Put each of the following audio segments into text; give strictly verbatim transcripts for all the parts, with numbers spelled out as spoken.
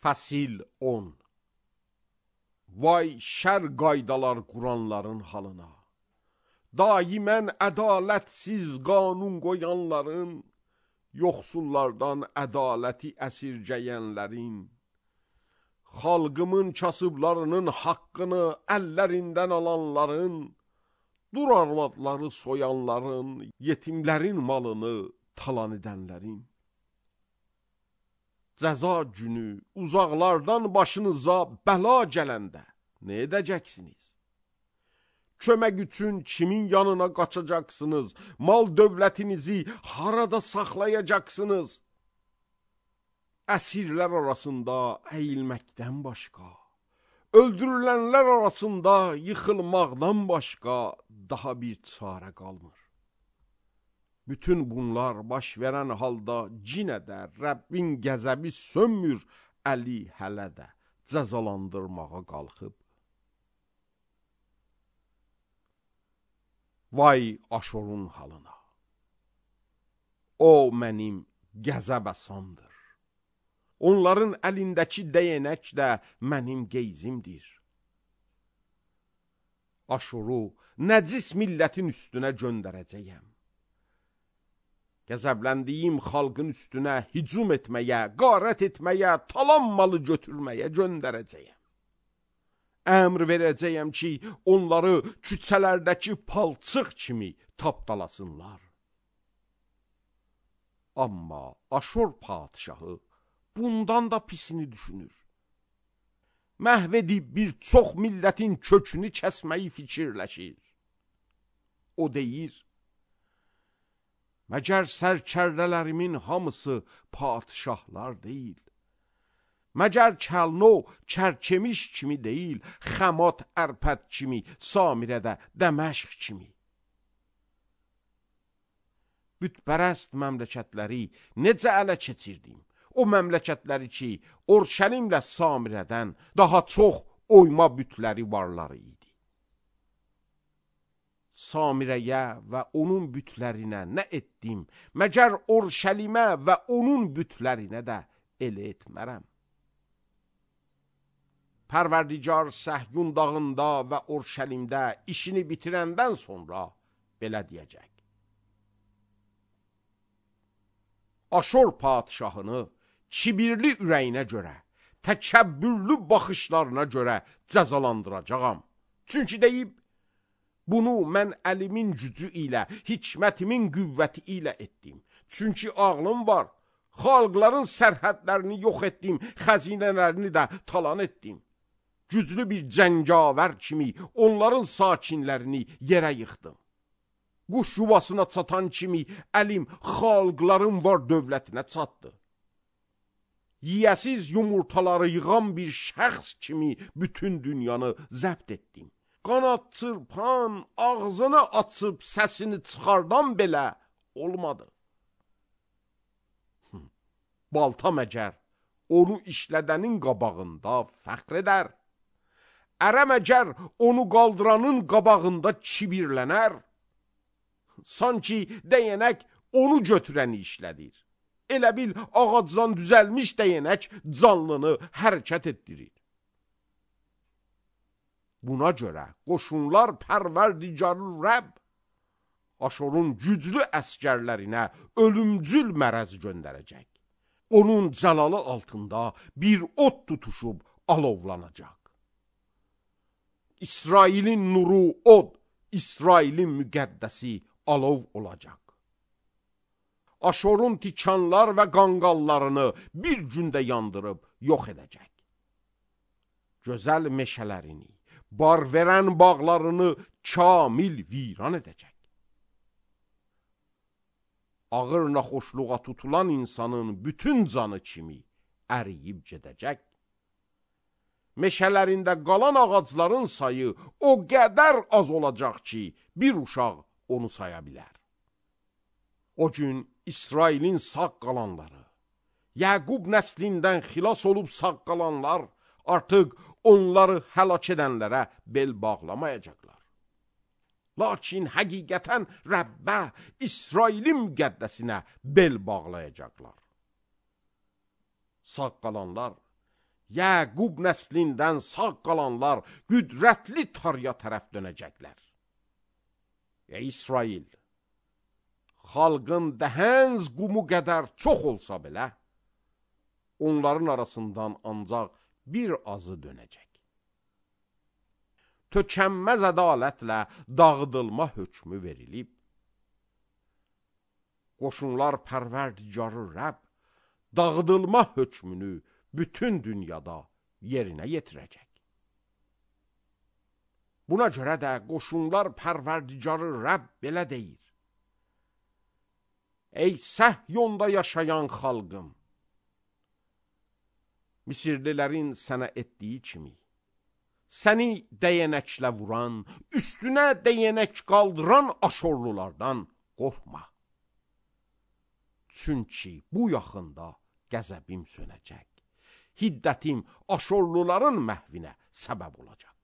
Fəsil on. Vay şər qaydalar quranların halına, daimən ədalətsiz qanun qoyanların, yoxsullardan ədaləti əsirgəyənlərin, xalqımın kasıblarının haqqını əllərindən alanların, dur arvadları soyanların, yetimlərin malını talan edənlərin. Cəza günü uzaqlardan başınıza bəla gələndə nə edəcəksiniz? Kömək üçün kimin yanına qaçacaqsınız? Mal dövlətinizi harada saxlayacaqsınız? Əsirlər arasında əyilməkdən başqa, öldürülənlər arasında yıxılmaqdan başqa daha bir çarə qalmır. Bütün bunlar baş verən halda cinə də Rəbbin qəzəbi sönmür, Əli hələ də cəzalandırmağa qalxıb. Vay Aşurun halına! O mənim qəzəb əsamdır. Onların əlindəki dəyənək də mənim qeyzimdir. Aşuru nəcis millətin üstünə göndərəcəyəm. Qəzəbləndiyim xalqın üstünə hücum etməyə, qarət etməyə, talan malı götürməyə göndərəcəyəm. Əmr verəcəyəm ki, onları küçələrdəki palçıq kimi tapdalasınlar. Amma Aşur padişahı bundan da pisini düşünür. Məhv edib bir çox millətin kökünü kəsməyi fikirləşir. O deyir, məgər sərkərdələrimin hamısı padişahlar deyil. Məgər Kəlno kərkemiş kimi deyil, Xəmat ərpət kimi, Samirədə Dəməşq kimi. Bütpərəst məmləkətləri necə ələ keçirdim? O məmləkətləri ki, Orşəlimlə Samirədən daha çox oyma bütləri varları idi. Samirəyə və onun bütlərinə nə etdim? Məgər Orşəlimə və onun bütlərinə də elə etmərəm. Pərverdigar Səhyun dağında və Orşəlimdə işini bitirəndən sonra belə deyəcək. Aşur padişahını kibirli ürəyinə görə, təkəbbürlü baxışlarına görə cəzalandıracağam. Çünki deyib, bunu mən əlimin gücü ilə, hikmətimin qüvvəti ilə etdim. Çünki ağlım var, xalqların sərhədlərini yox etdim, xəzinələrini də talan etdim. Güclü bir cəngavər kimi onların sakinlərini yerə yıxdım. Quş yuvasına çatan kimi əlim xalqların var dövlətinə çatdı. Yiyəsiz yumurtaları yığan bir şəxs kimi bütün dünyanı zəbt etdim. Qanad çırpan, ağzını açıb səsini çıxardan belə olmadı. Balta məgər onu işlədənin qabağında fəxr edər. Ərə məgər onu qaldıranın qabağında kibirlənər. Sanki dəyənək onu götürəni işlədir. Elə bil ağacdan düzəlmiş dəyənək canlını hərəkət etdirir. Buna görə qoşunlar Pərverdigarı Rəbb Aşurun güclü əskərlərinə ölümcül mərəz göndərəcək. Onun cəlalı altında bir od tutuşub alovlanacaq. İsrailin nuru od, İsrailin müqəddəsi alov olacaq. Aşurun tikanlar və qanqallarını bir gündə yandırıb yox edəcək. Gözəl meşələrini, bar verən bağlarını kamil viran edəcək. Ağır naxoşluğa tutulan insanın bütün canı kimi əriyib gedəcək. Meşələrində qalan ağacların sayı o qədər az olacaq ki, bir uşaq onu saya bilər. O gün İsrailin sağ qalanları, Yəqub nəslindən xilas olub sağ qalanlar artıq onları həlak edənlərə bel bağlamayacaqlar. Lakin həqiqətən Rəbbə, İsrailin müqəddəsinə bel bağlayacaqlar. Sağ qalanlar Yəqub nəslindən sağ qalanlar qüdrətli tarya tərəf dönəcəklər. Ey İsrail, xalqın dəhənz qumu qədər çox olsa belə, onların arasından ancaq bir azı dönəcək. Tökənməz ədalətlə dağıdılma hökmü verilib. Qoşunlar pərverdigarı Rəbb dağıdılma hökmünü bütün dünyada yerinə yetirəcək. Buna görə də qoşunlar pərverdigarı Rəbb belə deyir: Ey Səhyonda yaşayan xalqım, Misirlilərin sənə etdiyi kimi, səni dəyənəklə vuran, üstünə dəyənək qaldıran Aşorlulardan qorxma. Çünki bu yaxında qəzəbim sönəcək, hiddətim Aşorluların məhvinə səbəb olacaq.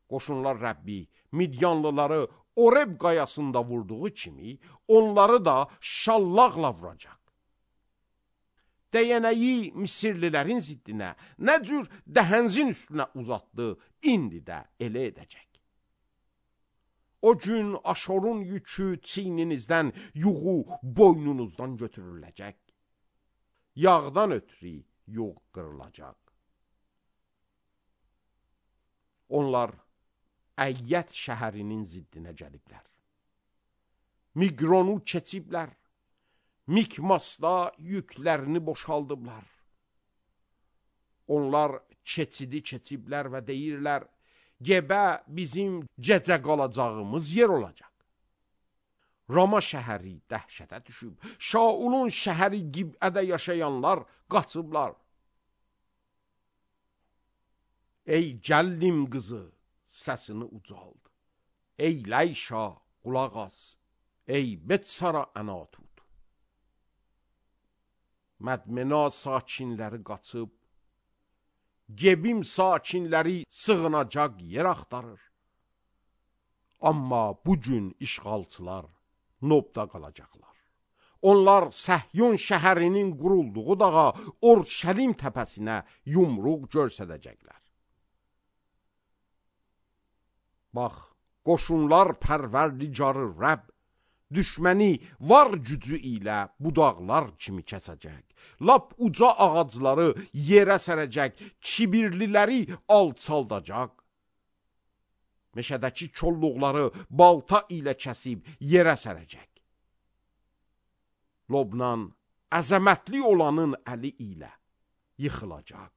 Qoşunlar Rəbbi Midyanlıları Oreb qayasında vurduğu kimi, onları da şallaqla vuracaq. Dəyənəyi Misirlilərin ziddinə, nə cür dəhənzin üstünə uzatdı, indi də elə edəcək. O gün Aşorun yükü çiyninizdən, yuğu boynunuzdan götürüləcək. Yağdan ötürü yuğ qırılacaq. Onlar Əyyət şəhərinin ziddinə gəliblər. Miqronu keçiblər. Mikmasda yüklərini boşaldıblar. Onlar keçidi keçiblər və deyirlər, Gebə bizim gecə qalacağımız yer olacaq. Rama şəhəri dəhşətə düşüb, Şaulun şəhəri Gib'ədə yaşayanlar qaçıblar. Ey gəllim qızı, səsini ucald. Ey Ləyşa, qulaq as. Ey Betsara ənatut. Mədmena sakinləri qaçıb, Gebim sakinləri sığınacaq yer axtarır. Amma bugün işğalçılar Nobda qalacaqlar. Onlar Səhyon şəhərinin qurulduğu dağa, Orşəlim təpəsinə yumruq görsədəcəklər. Bax, qoşunlar pərverdigarı Rəbb düşməni var gücü ilə budaqlar kimi kəsəcək. Lap uca ağacları yerə sərəcək, kibirliləri alçaldacaq. Meşədəki kolluqları balta ilə kəsib yerə sərəcək. Lobnan əzəmətli olanın əli ilə yıxılacaq.